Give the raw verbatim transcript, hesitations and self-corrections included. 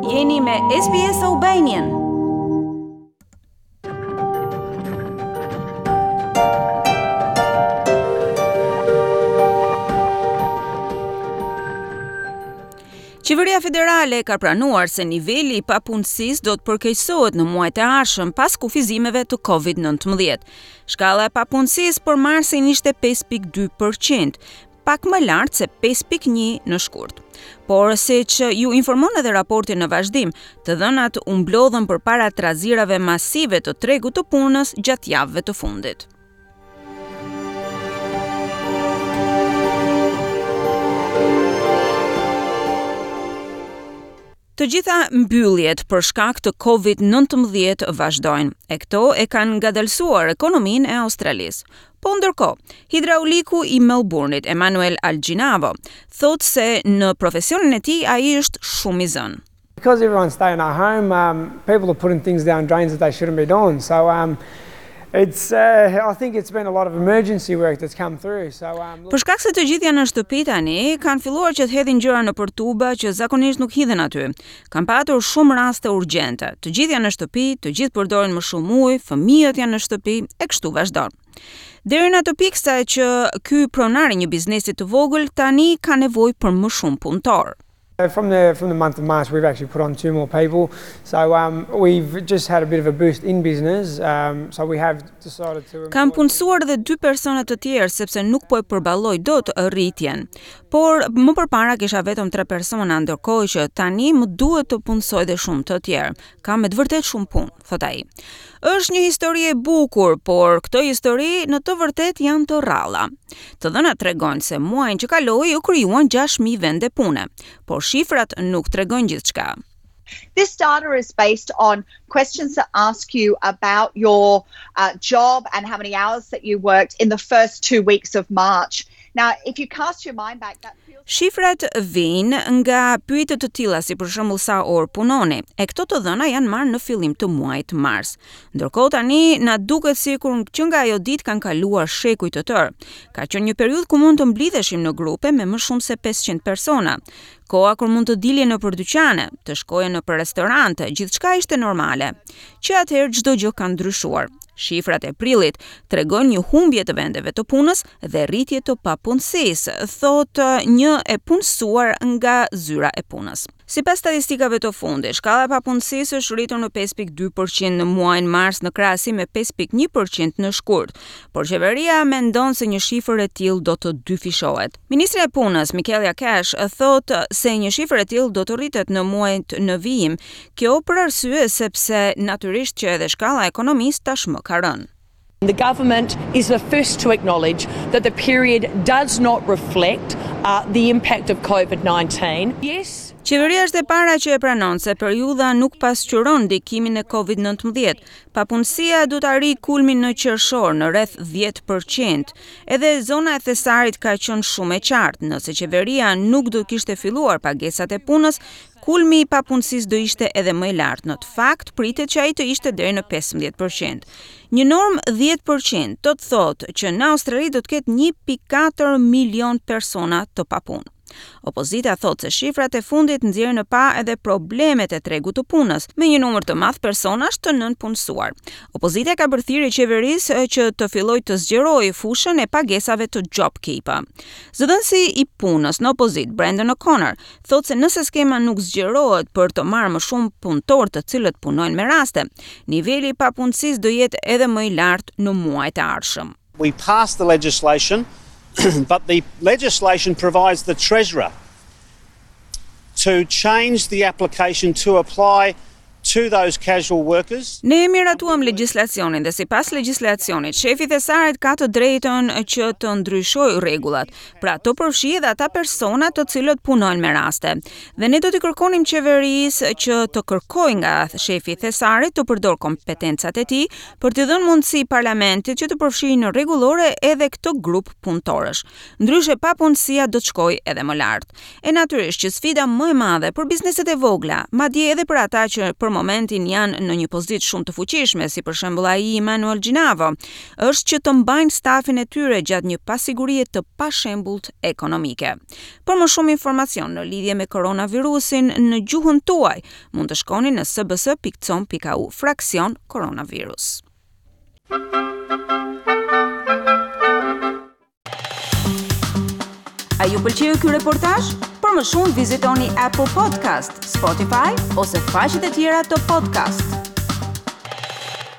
Jeni me S B S Albanian. Qeveria federale ka pranuar se niveli i papunësisë do të përkeqësohet në muajt e ardhshëm pas kufizimeve të Covid nëntëmbëdhjetë. Shkalla e papunësisë për marsin ishte pesë pikë dy për qind, pak më lart se pesë pikë një në shkurt. Por siç ju informon edhe raporti në vazhdim, të dhënat u mblodhën përpara trazirave masive të tregut të punës gjatë javëve të fundit. Të gjitha mbylljet për shkak të Covid nëntëmbëdhjetë vazhdojnë, e këto e kanë ngadalësuar ekonominë e Australisë. Po ndërkohë, hidrauliku i Melbourne-it, Emanuel Alginavo, thotë se në profesionin e tij ai është shumë i zënë. Because everyone's staying at home, um, people are putting things down drains that they shouldn't be doing. So um, it's, uh, I think it's been a lot of emergency work that's come through. So, um, Për shkak se të gjithë janë në shtëpi tani, kanë filluar që të hedhin gjëra nëpër tuba që zakonisht nuk hidhen aty. Kanë patur shumë raste urgjente. Të gjithë janë në shtëpi, të gjithë përdorin më shumë ujë, fëmijët janë në shtëpi e kështu vazhdon. Deri në atë pikë sa që ky pronar i një biznesi të vogël tani ka nevojë për më shumë punëtor. From the from the month of March, we've actually put on two more people. So um, we've just had a bit of a boost in business. Um, so we have decided to. Kam punësuar edhe dy persona të tjerë sepse nuk po e përballoj dot rritjen. Por më përpara kisha vetëm tre persona, ndërkohë që tani më duhet të punësoj edhe shumë të tjerë. Kam me të vërtet shumë punë, thot ai. Është një histori e bukur, por këto histori në të vërtet janë të rralla. Të dhënat tregojnë se muajin që kaloi u krijuan gjashtë mijë vende pune, por shifrat nuk tregojnë gjithçka. This data is based on questions that ask you about your uh, job and how many hours that you worked in the first two weeks of March. Now, if you cast your mind back, that feels Shifrat vijnë nga pyetje të tilla si për shembull sa orë punoni. E këto të dhëna janë marrë në fillim të muajit mars. Ndërkohë tani na duket sikur që nga ajo ditë kanë kaluar shekuj të tërë. Ka qenë një periudhë ku mund të mblidheshim në grupe me më shumë se pesëqind persona. Koha kur mund të dilje nëpër dyqane, të shkoje nëpër restorante, gjithçka ishte normale. Që atëherë çdo gjë ka ndryshuar. Shifrat e prillit tregojnë një humbje të vendeve të punës dhe rritje të papunësisë, thotë një e punësuar nga zyra e punës. Sipas statistikave të fundit, shkalla e papunësisë është rritur në pesë pikë dy për qind në muajin mars në krahasim me pesë pikë një për qind në shkurt, por qeveria mendon se një shifër e tillë do të dyfishohet. Ministrja e Punës, Michaelia Cash, thotë se një shifër e tillë do të rritet në muajt në vijim. Kjo për arsye sepse natyrisht që edhe shkalla e ekonomisë tashmë ka rënë. The government is the first to acknowledge that the period does not reflect uh, the impact of COVID nineteen. Yes. Qeveria është e para që e pranon se periudha nuk pasqyron ndikimin e Covid nëntëmbëdhjetë. Papunësia do të arrijë kulmin në qershor në rreth dhjetë për qind. Edhe zona e thesarit ka qenë shumë e qartë. Nëse qeveria nuk do kishte filluar pagesat e punës, kulmi i papunësisë do ishte edhe më i lartë. Në të fakt, pritet që ai të ishte deri në pesëmbëdhjetë për qind. Një normë dhjetë për qind do të thotë që në Australi do të ketë një pikë katër milion persona të papunë. Opozita thotë se shifrat e fundit nxjerrin në pah edhe problemet e tregut të punës, me një numër të madh personash të nënpunësuar. Opozita ka bërë thirrje qeverisë që të fillojë të zgjerojë fushën e pagesave të JobKeeper. Zëdhënësi i punës në opozitë, Brendan O'Connor, thotë se nëse skema nuk zgjerohet për të marrë më shumë punëtorë të cilët punojnë me raste, niveli i papunësisë do jetë edhe më i lartë në muajt e ardhshëm. We passed the legislation, but the legislation provides the Treasurer to change the application to apply to those casual workers. Ne miratuam legjislacionin dhe sipas legjislacionit, shefi i thesarit ka të drejtën që të ndryshojë rregullat, pra të përfshijë edhe ata persona të cilët punojnë me raste. Dhe ne do t'i kërkonim qeverisë që të kërkojë nga shefi i thesarit të përdor kompetencat e tij për t'i dhënë mundësi parlamentit që të përfshijë në rregullore edhe këtë grup punëtorësh. Ndryshe papunësia do të shkojë edhe më lart. E natyrisht që sfida më e madhe për bizneset e vogla, madje edhe për ata që për momentin janë në një pozitë shumë të fuqishme, si për shembull ai i Emanuel Ginavo, është që të mbajnë stafin e tyre gjatë një pasigurie të pashembullt ekonomike. Për më shumë informacion në lidhje me koronavirusin në gjuhën tuaj, mund të shkoni në s b s pikë com pikë a u fraksion koronavirus. A ju pëlqeu ky reportazh? Për më shumë vizitoni Apple Podcast, Spotify ose faqet e tjera të podcast.